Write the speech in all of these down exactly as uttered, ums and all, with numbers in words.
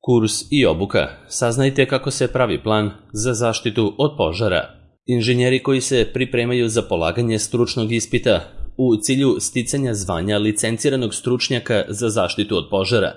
Kurs i obuka. Saznajte kako se pravi plan za zaštitu od požara. Inženjeri koji se pripremaju za polaganje stručnog ispita u cilju sticanja zvanja licenciranog stručnjaka za zaštitu od požara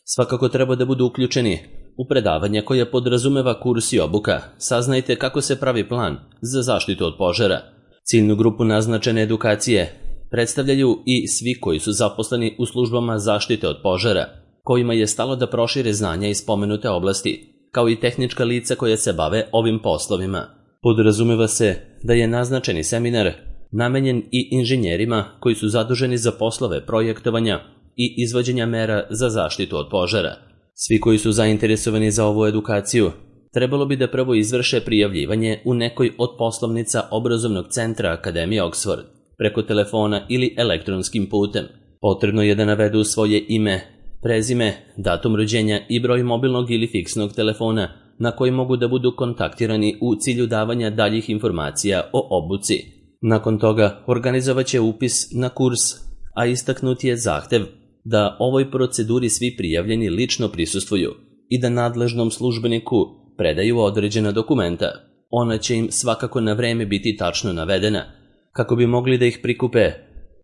svakako treba da budu uključeni u predavanja koja podrazumeva kurs i obuka. Saznajte kako se pravi plan za zaštitu od požara. Ciljnu grupu naznačene edukacije predstavljaju i svi koji su zaposleni u službama zaštite od požara, kojima je stalo da prošire znanja iz spomenute oblasti, kao i tehnička lica koja se bave ovim poslovima. Podrazumeva se da je naznačeni seminar namenjen i inženjerima koji su zaduženi za poslove projektovanja i izvođenja mera za zaštitu od požara. Svi koji su zainteresovani za ovu edukaciju trebalo bi da prvo izvrše prijavljivanje u nekoj od poslovnica obrazovnog centra Akademije Oxford, preko telefona ili elektronskim putem. Potrebno je da navedu svoje ime, prezime, datum rođenja i broj mobilnog ili fiksnog telefona na koji mogu da budu kontaktirani u cilju davanja daljih informacija o obuci. Nakon toga organizovat će upis na kurs, a istaknut je zahtev da ovoj proceduri svi prijavljeni lično prisustvuju i da nadležnom službeniku predaju određena dokumenta. Ona će im svakako na vreme biti tačno navedena, kako bi mogli da ih prikupe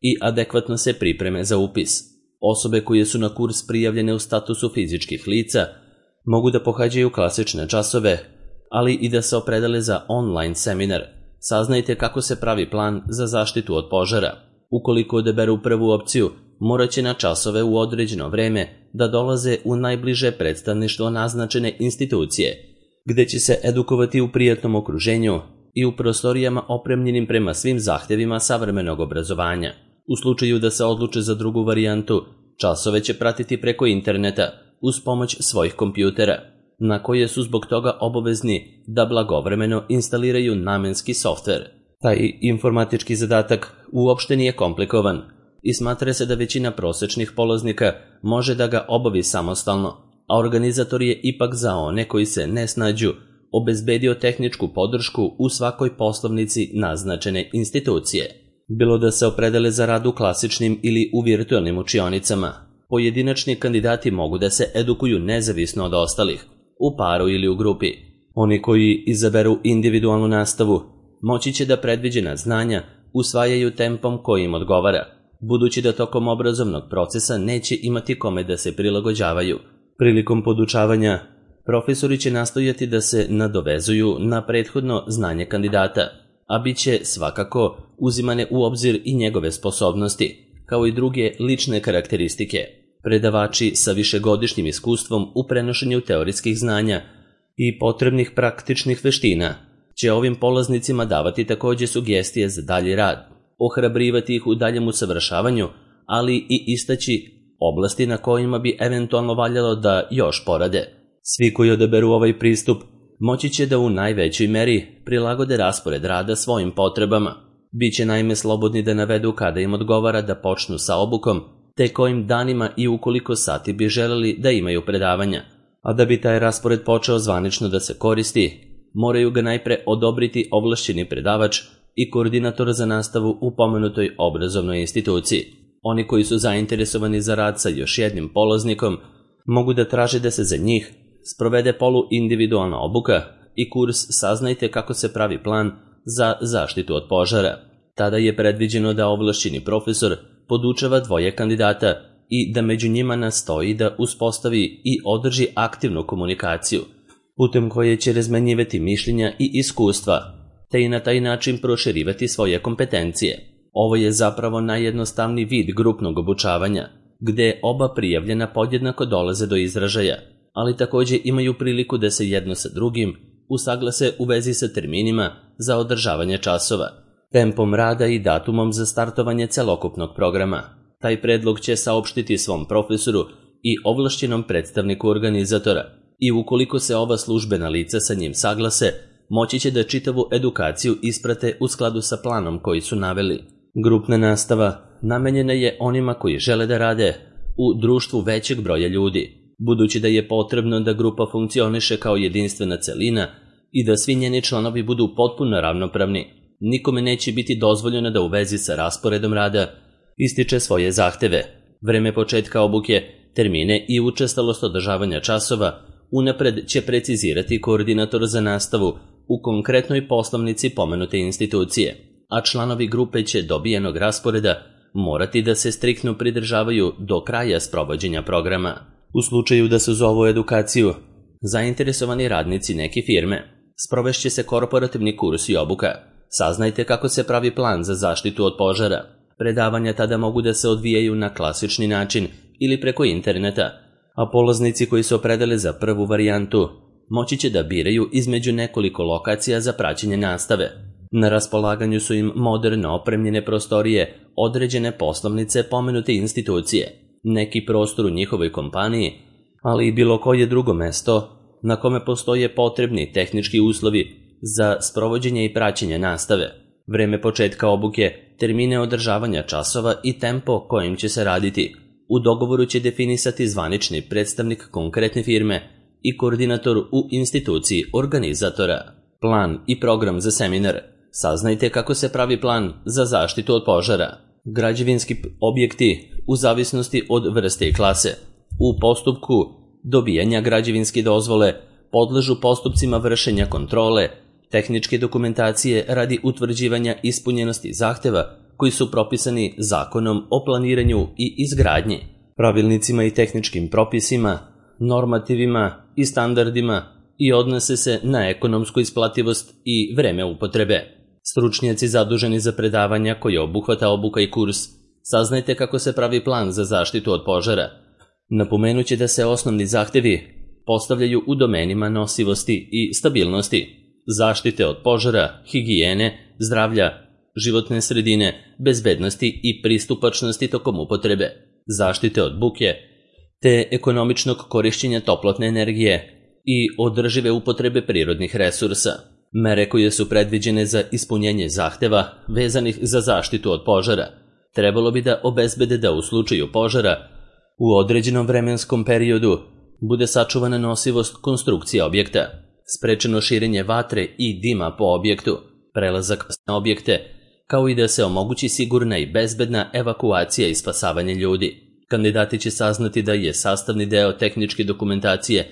i adekvatno se pripreme za upis. Osobe koje su na kurs prijavljene u statusu fizičkih lica mogu da pohađaju klasične časove, ali i da se opredele za online seminar. Saznajte kako se pravi plan za zaštitu od požara. Ukoliko odaberu prvu opciju, morat će na časove u određeno vreme da dolaze u najbliže predstavništvo naznačene institucije, gde će se edukovati u prijatnom okruženju i u prostorijama opremljenim prema svim zahtevima savremenog obrazovanja. U slučaju da se odluče za drugu varijantu, časove će pratiti preko interneta uz pomoć svojih kompjutera, na koje su zbog toga obavezni da blagovremeno instaliraju namenski softver. Taj informatički zadatak uopšte nije komplikovan i smatra se da većina prosečnih polaznika može da ga obavi samostalno, a organizator je ipak za one koji se ne snađu obezbedio tehničku podršku u svakoj poslovnici naznačene institucije. Bilo da se opredele za rad u klasičnim ili u virtualnim učionicama, pojedinačni kandidati mogu da se edukuju nezavisno od ostalih, u paru ili u grupi. Oni koji izaberu individualnu nastavu moći će da predviđena znanja usvajaju tempom koji im odgovara, budući da tokom obrazovnog procesa neće imati kome da se prilagođavaju. Prilikom podučavanja, profesori će nastojati da se nadovezuju na prethodno znanje kandidata, a bit će svakako uzimane u obzir i njegove sposobnosti, kao i druge lične karakteristike. Predavači sa višegodišnjim iskustvom u prenošenju teorijskih znanja i potrebnih praktičnih veština će ovim polaznicima davati takođe sugestije za dalji rad, ohrabrivati ih u daljem usavršavanju, ali i istaći oblasti na kojima bi eventualno valjalo da još porade. Svi koji odaberu ovaj pristup moći će da u najvećoj meri prilagode raspored rada svojim potrebama. Biće naime slobodni da navedu kada im odgovara da počnu sa obukom, te kojim danima i ukoliko sati bi želeli da imaju predavanja. A da bi taj raspored počeo zvanično da se koristi, moraju ga najpre odobriti ovlašćeni predavač i koordinator za nastavu u pomenutoj obrazovnoj instituciji. Oni koji su zainteresovani za rad sa još jednim polaznikom mogu da traže da se za njih sprovede poluindividualna obuka i kurs Saznajte kako se pravi plan za zaštitu od požara. Tada je predviđeno da ovlašćeni profesor podučava dvoje kandidata i da među njima nastoji da uspostavi i održi aktivnu komunikaciju, putem koje će razmenjivati mišljenja i iskustva, te i na taj način proširivati svoje kompetencije. Ovo je zapravo najjednostavniji vid grupnog obučavanja, gde oba prijavljena podjednako dolaze do izražaja, ali takođe imaju priliku da se jedno sa drugim usaglase u vezi sa terminima za održavanje časova, tempom rada i datumom za startovanje celokupnog programa. Taj predlog će saopštiti svom profesoru i ovlašćenom predstavniku organizatora i ukoliko se ova službena lica sa njim saglase, moći će da čitavu edukaciju isprate u skladu sa planom koji su naveli. Grupna nastava namenjena je onima koji žele da rade u društvu većeg broja ljudi, budući da je potrebno da grupa funkcioniše kao jedinstvena celina i da svi njeni članovi budu potpuno ravnopravni. Nikome neće biti dozvoljeno da u vezi sa rasporedom rada ističe svoje zahteve. Vreme početka obuke termine i učestalost održavanja časova unapred će precizirati koordinator za nastavu u konkretnoj poslovnici pomenute institucije, a članovi grupe će dobijenog rasporeda morati da se striktno pridržavaju do kraja sprovođenja programa. U slučaju da se zovu edukaciju zainteresovani radnici neke firme, sprovešće se korporativni kurs i obuka. Saznajte kako se pravi plan za zaštitu od požara. Predavanja tada mogu da se odvijaju na klasični način ili preko interneta, a polaznici koji se opredele za prvu varijantu moći će da biraju između nekoliko lokacija za praćenje nastave. Na raspolaganju su im moderno opremljene prostorije, određene poslovnice pomenute institucije, neki prostor u njihovoj kompaniji, ali i bilo koje drugo mesto na kome postoje potrebni tehnički uslovi za sprovođenje i praćenje nastave, vreme početka obuke, termine održavanja časova i tempo kojim će se raditi. U dogovoru će definisati zvanični predstavnik konkretne firme i koordinator u instituciji organizatora. Plan i program za seminar. Saznajte kako se pravi plan za zaštitu od požara. Građevinski objekti u zavisnosti od vrste i klase. U postupku dobijanja građevinske dozvole podležu postupcima vršenja kontrole, tehničke dokumentacije radi utvrđivanja ispunjenosti zahteva koji su propisani Zakonom o planiranju i izgradnji, pravilnicima i tehničkim propisima, normativima i standardima i odnose se na ekonomsku isplativost i vreme upotrebe. Stručnjaci zaduženi za predavanja koje obuhvata obuka i kurs, saznajte kako se pravi plan za zaštitu od požara. Napomenuće da se osnovni zahtevi postavljaju u domenima nosivosti i stabilnosti, zaštite od požara, higijene, zdravlja, životne sredine, bezbednosti i pristupačnosti tokom upotrebe, zaštite od buke, te ekonomičnog korišćenja toplotne energije i održive upotrebe prirodnih resursa. Mere koje su predviđene za ispunjenje zahteva vezanih za zaštitu od požara trebalo bi da obezbede da u slučaju požara u određenom vremenskom periodu bude sačuvana nosivost konstrukcije objekta, sprečeno širenje vatre i dima po objektu, prelazak na objekte, kao i da se omogući sigurna i bezbedna evakuacija i spasavanje ljudi. Kandidati će saznati da je sastavni deo tehničke dokumentacije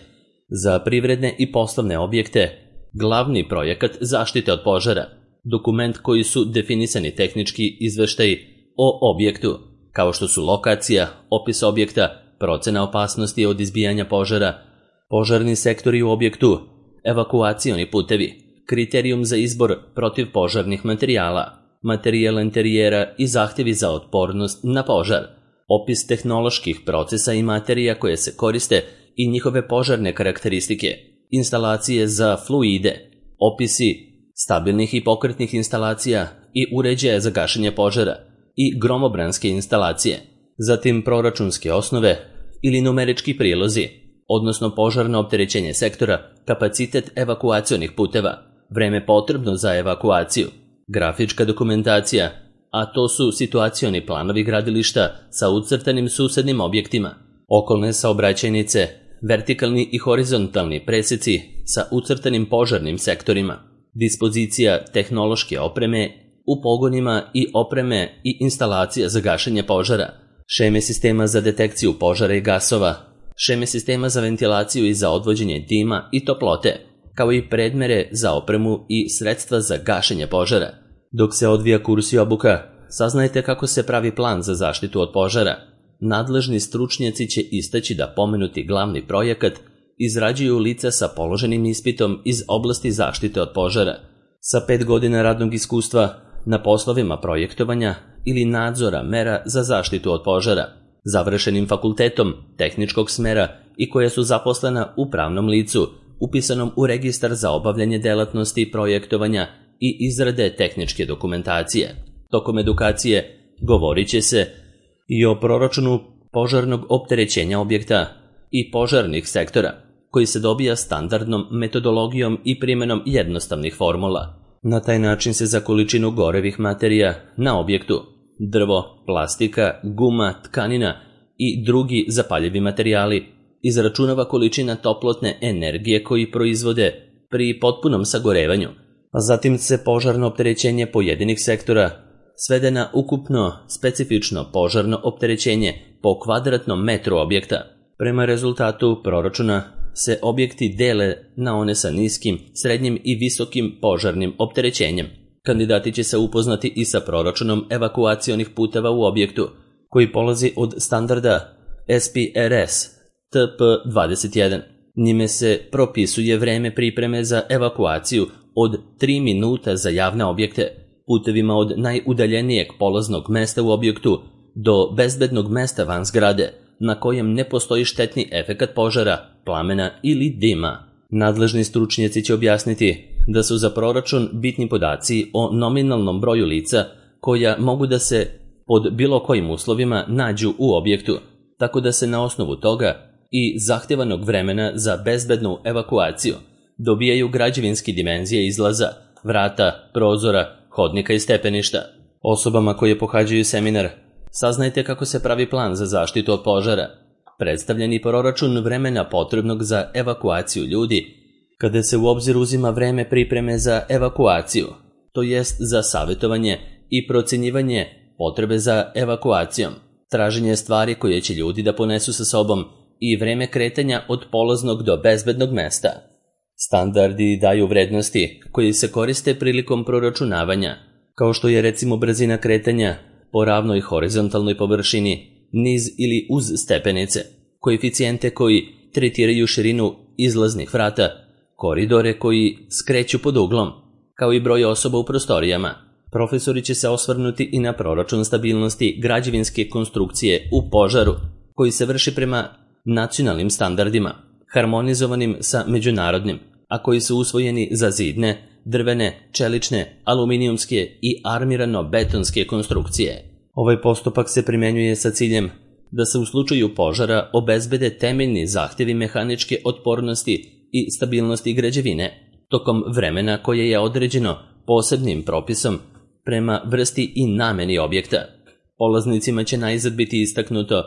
za privredne i poslovne objekte glavni projekat zaštite od požara, dokument koji su definisani tehnički izveštaji o objektu, kao što su lokacija, opis objekta, procena opasnosti od izbijanja požara, požarni sektori u objektu, evakuacioni putevi, kriterijum za izbor protivpožarnih materijala, materijal interijera i zahtjevi za otpornost na požar, opis tehnoloških procesa i materija koje se koriste i njihove požarne karakteristike, instalacije za fluide, opisi stabilnih i pokretnih instalacija i uređaja za gašenje požara i gromobranske instalacije, zatim proračunske osnove ili numerički prilozi, odnosno požarno opterećenje sektora, kapacitet evakuacionih puteva, vreme potrebno za evakuaciju, grafička dokumentacija, a to su situacioni planovi gradilišta sa ucrtanim susednim objektima, okolne saobraćajnice, vertikalni i horizontalni preseci sa ucrtanim požarnim sektorima, dispozicija tehnološke opreme u pogonima i opreme i instalacija za gašenje požara, šeme sistema za detekciju požara i gasova, šeme sistema za ventilaciju i za odvođenje dima i toplote, kao i predmere za opremu i sredstva za gašenje požara. Dok se odvija kurs i obuka, saznajte kako se pravi plan za zaštitu od požara. Nadležni stručnjaci će istaći da pomenuti glavni projekat izrađuju lica sa položenim ispitom iz oblasti zaštite od požara, sa pet godina radnog iskustva na poslovima projektovanja ili nadzora mera za zaštitu od požara, završenim fakultetom tehničkog smera i koja su zaposlena u pravnom licu, upisanom u registar za obavljanje delatnosti projektovanja i izrade tehničke dokumentacije. Tokom edukacije govorit će se i o proračunu požarnog opterećenja objekta i požarnih sektora, koji se dobija standardnom metodologijom i primjenom jednostavnih formula. Na taj način se za količinu gorevih materija na objektu, drvo, plastika, guma, tkanina i drugi zapaljivi materijali, izračunava količina toplotne energije koji proizvode pri potpunom sagorevanju, a zatim se požarno opterećenje pojedinih sektora svede na ukupno specifično požarno opterećenje po kvadratnom metru objekta. Prema rezultatu proračuna se objekti dele na one sa niskim, srednjim i visokim požarnim opterećenjem. Kandidati će se upoznati i sa proračunom evakuacionih puteva u objektu, koji polazi od standarda S P R S T P dvadeset jedan. Njime se propisuje vreme pripreme za evakuaciju od tri minuta za javne objekte, putevima od najudaljenijeg polaznog mesta u objektu do bezbednog mesta van zgrade, na kojem ne postoji štetni efekat požara, plamena ili dima. Nadležni stručnjaci će objasniti da su za proračun bitni podaci o nominalnom broju lica koja mogu da se pod bilo kojim uslovima nađu u objektu, tako da se na osnovu toga i zahtevanog vremena za bezbednu evakuaciju dobijaju građevinski dimenzije izlaza, vrata, prozora, hodnika i stepeništa. Osobama koje pohađaju seminar saznajte kako se pravi plan za zaštitu od požara, predstavljeni proračun vremena potrebnog za evakuaciju ljudi, kada se u obzir uzima vreme pripreme za evakuaciju, to jest za savjetovanje i procjenjivanje potrebe za evakuacijom, traženje stvari koje će ljudi da ponesu sa sobom i vreme kretanja od polaznog do bezbednog mesta. Standardi daju vrednosti koji se koriste prilikom proračunavanja, kao što je recimo brzina kretanja po ravnoj horizontalnoj površini, niz ili uz stepenice, koeficijente koji tretiraju širinu izlaznih vrata, koridore koji skreću pod uglom, kao i broj osoba u prostorijama. Profesori će se osvrnuti i na proračun stabilnosti građevinske konstrukcije u požaru, koji se vrši prema nacionalnim standardima, harmonizovanim sa međunarodnim, a koji su usvojeni za zidne, drvene, čelične, aluminijumske i armirano-betonske konstrukcije. Ovaj postupak se primenjuje sa ciljem da se u slučaju požara obezbede temeljni zahtjevi mehaničke otpornosti i stabilnosti građevine, tokom vremena koje je određeno posebnim propisom prema vrsti i nameni objekta. Polaznicima će najzad biti istaknuto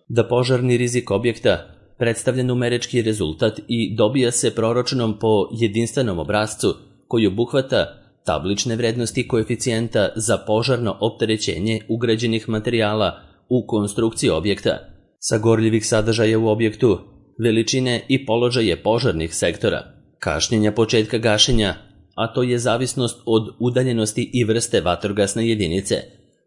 da požarni rizik objekta predstavlja numerički rezultat i dobija se proračunom po jedinstvenom obrascu koji obuhvata tablične vrednosti koeficijenta za požarno opterećenje ugrađenih materijala u konstrukciji objekta, sagorljivih sadržaja u objektu, veličine i položaje požarnih sektora, kašnjenja početka gašenja, a to je zavisnost od udaljenosti i vrste vatrogasne jedinice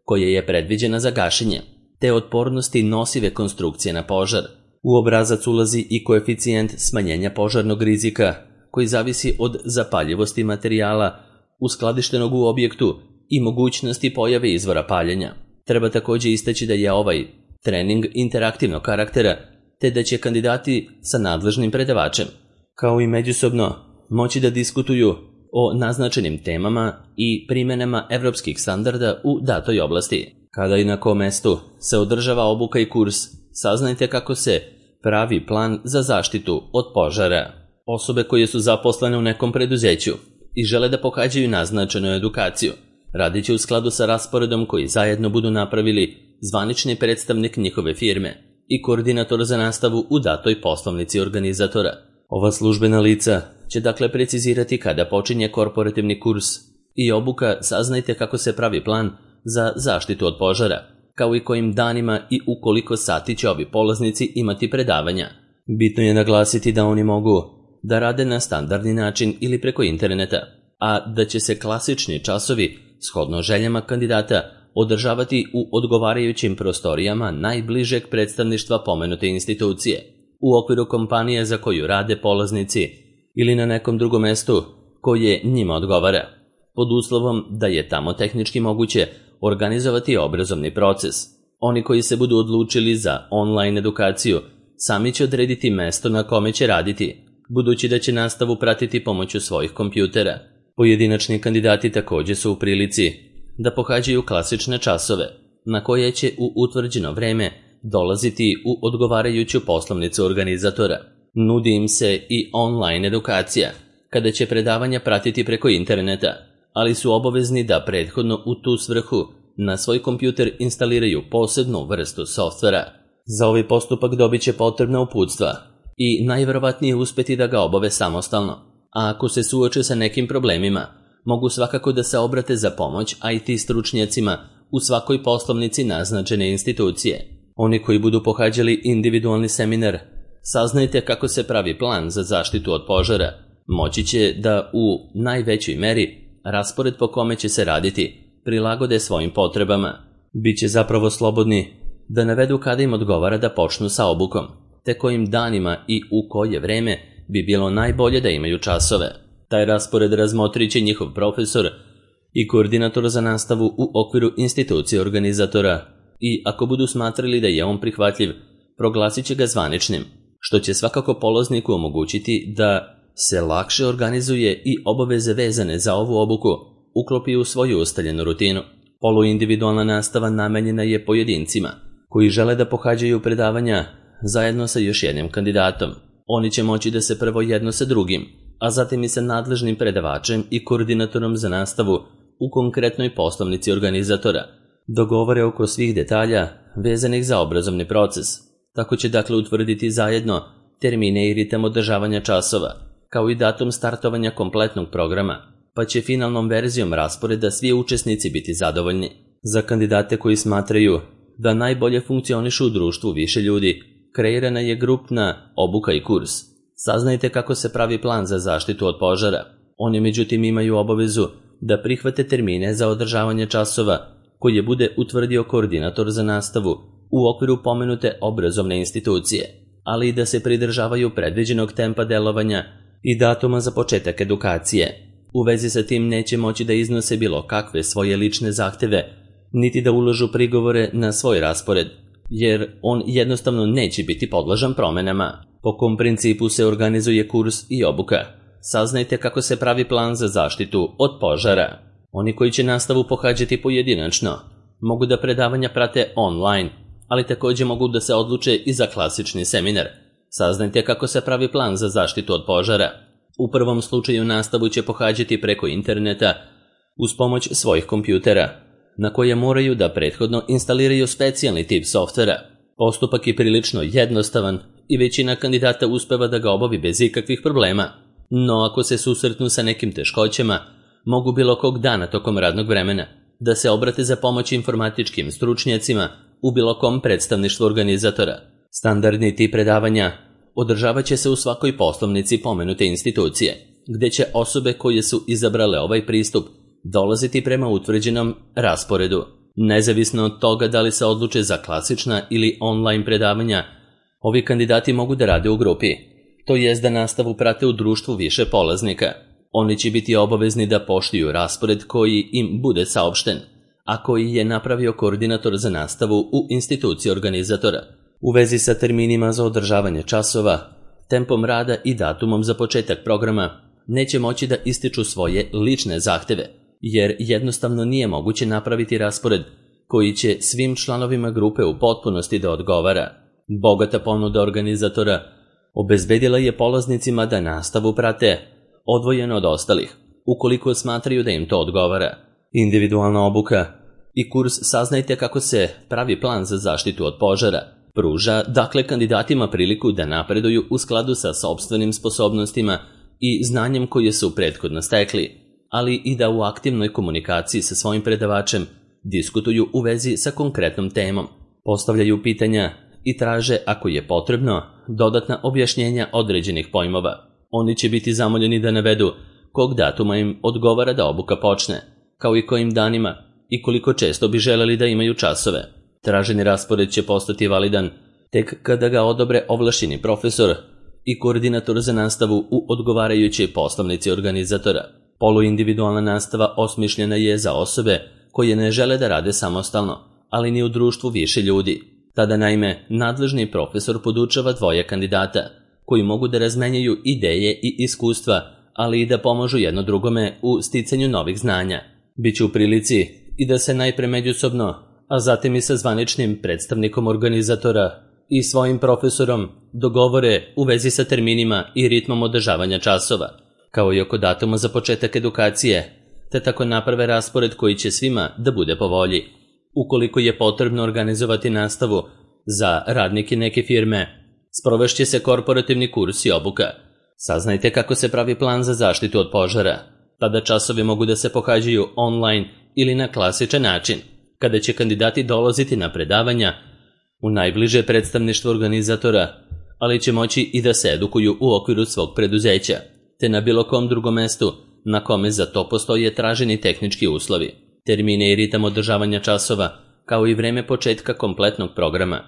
koja je predviđena za gašenje, te otpornosti nosive konstrukcije na požar. U obrazac ulazi i koeficijent smanjenja požarnog rizika, koji zavisi od zapaljivosti materijala uskladištenog u objektu i mogućnosti pojave izvora paljenja. Treba također istaći da je ovaj trening interaktivnog karaktera, te da će kandidati sa nadležnim predavačem, kao i međusobno, moći da diskutuju o naznačenim temama i primjenama evropskih standarda u datoj oblasti. Kada i na kom mestu se održava obuka i kurs, saznajte kako se pravi plan za zaštitu od požara. Osobe koje su zaposlene u nekom preduzeću i žele da pohađaju naznačenu edukaciju, radit će u skladu sa rasporedom koji zajedno budu napravili zvanični predstavnik njihove firme i koordinator za nastavu u datoj poslovnici organizatora. Ova službena lica će dakle precizirati kada počinje korporativni kurs i obuka. Saznajte kako se pravi plan za zaštitu od požara, kao i kojim danima i u koliko sati će ovi polaznici imati predavanja. Bitno je naglasiti da oni mogu da rade na standardni način ili preko interneta, a da će se klasični časovi, shodno željama kandidata, održavati u odgovarajućim prostorijama najbližeg predstavništva pomenute institucije, u okviru kompanije za koju rade polaznici ili na nekom drugom mestu koje njima odgovara, pod uslovom da je tamo tehnički moguće organizovati obrazovni proces. Oni koji se budu odlučili za online edukaciju sami će odrediti mesto na kome će raditi, budući da će nastavu pratiti pomoću svojih kompjutera. Pojedinačni kandidati također su u prilici da pohađaju klasične časove, na koje će u utvrđeno vreme dolaziti u odgovarajuću poslovnicu organizatora. Nudi im se i online edukacija, kada će predavanja pratiti preko interneta, ali su obavezni da prethodno u tu svrhu na svoj kompjuter instaliraju posebnu vrstu softvera. Za ovaj postupak dobit će potrebna uputstva i najvjerovatnije uspjeti da ga obave samostalno, a ako se suoče sa nekim problemima, mogu svakako da se obrate za pomoć I T stručnjacima u svakoj poslovnici naznačene institucije. Oni koji budu pohađali individualni seminar Saznajte kako se pravi plan za zaštitu od požara, moći će da u najvećoj meri raspored po kome će se raditi prilagode svojim potrebama. Biće zapravo slobodni da navedu kada im odgovara da počnu sa obukom, te kojim danima i u koje vreme bi bilo najbolje da imaju časove. Taj raspored razmotrit će njihov profesor i koordinator za nastavu u okviru institucije organizatora i ako budu smatrali da je on prihvatljiv, proglasit će ga zvaničnim, što će svakako polazniku omogućiti da se lakše organizuje i obaveze vezane za ovu obuku uklopi u svoju ustaljenu rutinu. Poluindividualna nastava namenjena je pojedincima koji žele da pohađaju predavanja zajedno sa još jednim kandidatom. Oni će moći da se prvo jedno sa drugim, a zatim i sa nadležnim predavačem i koordinatorom za nastavu u konkretnoj poslovnici organizatora dogovore oko svih detalja vezanih za obrazovni proces. Tako će dakle utvrditi zajedno termine i ritam održavanja časova, kao i datum startovanja kompletnog programa, pa će finalnom verzijom rasporeda svi učesnici biti zadovoljni. Za kandidate koji smatraju da najbolje funkcionišu u društvu više ljudi, kreirana je grupna obuka i kurs. Saznajte kako se pravi plan za zaštitu od požara. Oni međutim imaju obavezu da prihvate termine za održavanje časova koje bude utvrdio koordinator za nastavu u okviru pomenute obrazovne institucije, ali i da se pridržavaju predviđenog tempa delovanja i datuma za početak edukacije. U vezi sa tim neće moći da iznose bilo kakve svoje lične zahteve, niti da ulažu prigovore na svoj raspored, jer on jednostavno neće biti podložan promenama. Po kom principu se organizuje kurs i obuka? Saznajte kako se pravi plan za zaštitu od požara. Oni koji će nastavu pohađati pojedinačno mogu da predavanja prate online, ali također mogu da se odluče i za klasični seminar. Saznajte kako se pravi plan za zaštitu od požara. U prvom slučaju nastavu će pohađati preko interneta uz pomoć svojih kompjutera, na koje moraju da prethodno instaliraju specijalni tip softvera. Postupak je prilično jednostavan i većina kandidata uspeva da ga obavi bez ikakvih problema, no ako se susretnu sa nekim teškoćama, mogu bilo kog dana tokom radnog vremena da se obrate za pomoć informatičkim stručnjacima u bilo kom predstavništvu organizatora. Standardni tip predavanja održavat će se u svakoj poslovnici pomenute institucije, gde će osobe koje su izabrale ovaj pristup dolaziti prema utvrđenom rasporedu. Nezavisno od toga da li se odluče za klasična ili online predavanja, ovi kandidati mogu da rade u grupi, to jest da nastavu prate u društvu više polaznika. Oni će biti obavezni da poštuju raspored koji im bude saopšten, a koji je napravio koordinator za nastavu u instituciji organizatora. U vezi sa terminima za održavanje časova, tempom rada i datumom za početak programa neće moći da ističu svoje lične zahteve, jer jednostavno nije moguće napraviti raspored koji će svim članovima grupe u potpunosti da odgovara. Bogata ponuda organizatora obezbedila je polaznicima da nastavu prate odvojeno od ostalih, ukoliko smatraju da im to odgovara. Individualna obuka i kurs Saznajte kako se pravi plan za zaštitu od požara pruža dakle kandidatima priliku da napreduju u skladu sa sopstvenim sposobnostima i znanjem koje su prethodno stekli, ali i da u aktivnoj komunikaciji sa svojim predavačem diskutuju u vezi sa konkretnom temom, postavljaju pitanja i traže, ako je potrebno, dodatna objašnjenja određenih pojmova. Oni će biti zamoljeni da navedu kog datuma im odgovara da obuka počne, kao i kojim danima i koliko često bi želeli da imaju časove. Traženi raspored će postati validan tek kada ga odobre ovlašćeni profesor i koordinator za nastavu u odgovarajućoj poslovnici organizatora. Poluindividualna nastava osmišljena je za osobe koje ne žele da rade samostalno, ali ni u društvu više ljudi. Tada naime nadležni profesor podučava dvoje kandidata, koji mogu da razmenjaju ideje i iskustva, ali i da pomažu jedno drugome u sticanju novih znanja. Biće u prilici i da se najpre međusobno, a zatim i sa zvaničnim predstavnikom organizatora i svojim profesorom dogovore u vezi sa terminima i ritmom održavanja časova, kao i oko datuma za početak edukacije, te tako naprave raspored koji će svima da bude po volji. Ukoliko je potrebno organizovati nastavu za radnike neke firme, sprovešće se korporativni kurs i obuka. Saznajte kako se pravi plan za zaštitu od požara. Tada časovi mogu da se pohađaju online ili na klasičan način. kada će kandidati dolaziti na predavanja u najbliže predstavništvo organizatora, ali će moći i da se edukuju u okviru svog preduzeća, te na bilo kom drugom mestu na kome za to postoje traženi tehnički uslovi. Termine i ritam održavanja časova, kao i vreme početka kompletnog programa,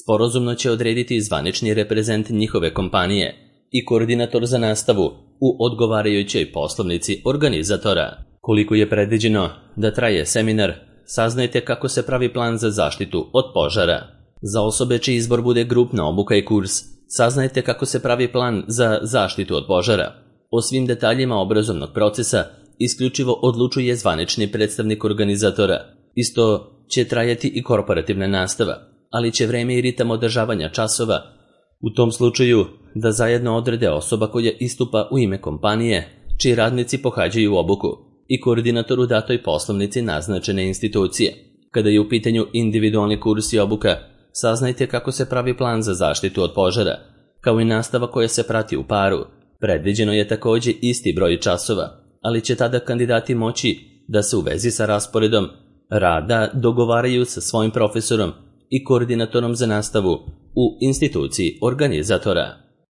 sporazumno će odrediti zvanični reprezent njihove kompanije i koordinator za nastavu u odgovarajućoj poslovnici organizatora. Koliko je predviđeno da traje seminar, saznajte kako se pravi plan za zaštitu od požara. Za osobe čiji izbor bude grupna obuka i kurs, saznajte kako se pravi plan za zaštitu od požara. O svim detaljima obrazovnog procesa isključivo odlučuje zvanični predstavnik organizatora. Isto će trajati i korporativna nastava, ali će vreme i ritam održavanja časova u tom slučaju da zajedno odrede osoba koja istupa u ime kompanije, čiji radnici pohađaju obuku, i koordinator u datoj poslovnici naznačene institucije. Kada je u pitanju individualni kurs i obuka, saznajte kako se pravi plan za zaštitu od požara, kao i nastava koja se prati u paru. Predviđeno je također isti broj časova, ali će tada kandidati moći da se u vezi sa rasporedom rada dogovaraju sa svojim profesorom i koordinatorom za nastavu u instituciji organizatora.